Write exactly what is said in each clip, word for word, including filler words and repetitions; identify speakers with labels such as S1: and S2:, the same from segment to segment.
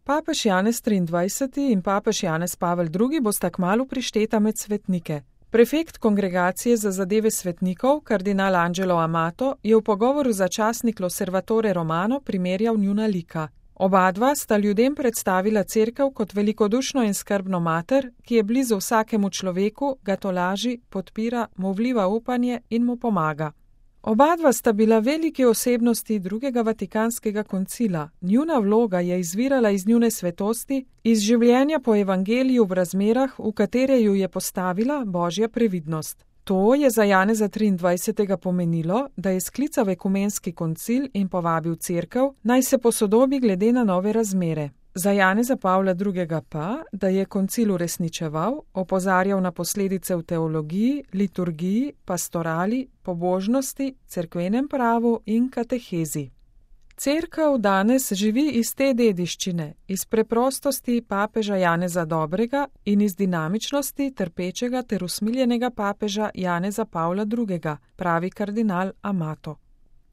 S1: Papež Janez triindvajseti in papež Janez Pavel drugi bosta kmalu prišteta med svetnike. Prefekt kongregacije za zadeve svetnikov, kardinal Angelo Amato, je v pogovoru za časnik L'Osservatore Romano primerjal njuna lika. Oba dva sta ljudem predstavila cerkev kot velikodušno in skrbno mater, ki je blizu vsakemu človeku, ga tolaži, podpira, mu vliva upanje in mu pomaga. Oba dva sta bila veliki osebnosti drugega vatikanskega koncila. Njuna vloga je izvirala iz njune svetosti, iz življenja po evangeliju v razmerah, v katere ju je postavila Božja previdnost. To je za Janeza triindvajsetega pomenilo, da je sklical ekumenski koncil in povabil cerkev, naj se posodobi glede na nove razmere. Za Janeza Pavla drugega pa, da je koncil uresničeval, opozarjal na posledice v teologiji, liturgiji, pastorali, pobožnosti, cerkvenem pravu in katehezi. Cerkev danes živi iz te dediščine, iz preprostosti papeža Janeza Dobrega in iz dinamičnosti trpečega ter usmiljenega papeža Janeza Pavla drugega, pravi kardinal Amato.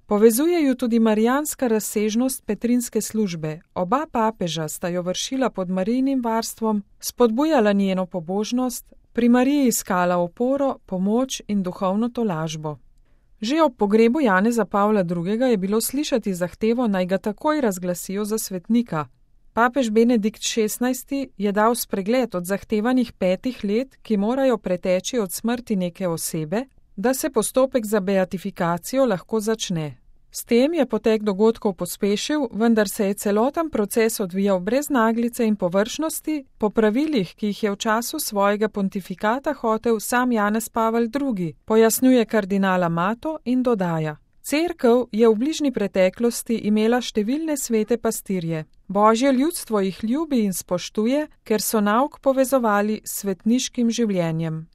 S1: Povezuje ju tudi marijanska razsežnost petrinske službe. Oba papeža sta jo vršila pod Marijinim varstvom, spodbujala njeno pobožnost, pri Mariji iskala oporo, pomoč in duhovno tolažbo. Že ob pogrebu Janeza Pavla drugega je bilo slišati zahtevo, naj ga takoj razglasijo za svetnika. Papež Benedikt šestnajsti je dal spregled od zahtevanih petih let, ki morajo preteči od smrti neke osebe, da se postopek za beatifikacijo lahko začne. S tem je potek dogodkov pospešil, vendar se je celoten proces odvijal brez naglice in površnosti, po pravilih, ki jih je v času svojega pontifikata hotel sam Janez Pavel drugi, pojasnjuje kardinal Amato in dodaja. Cerkev je v bližnji preteklosti imela številne svete pastirje. Božje ljudstvo jih ljubi in spoštuje, ker so nauk povezovali s svetniškim življenjem.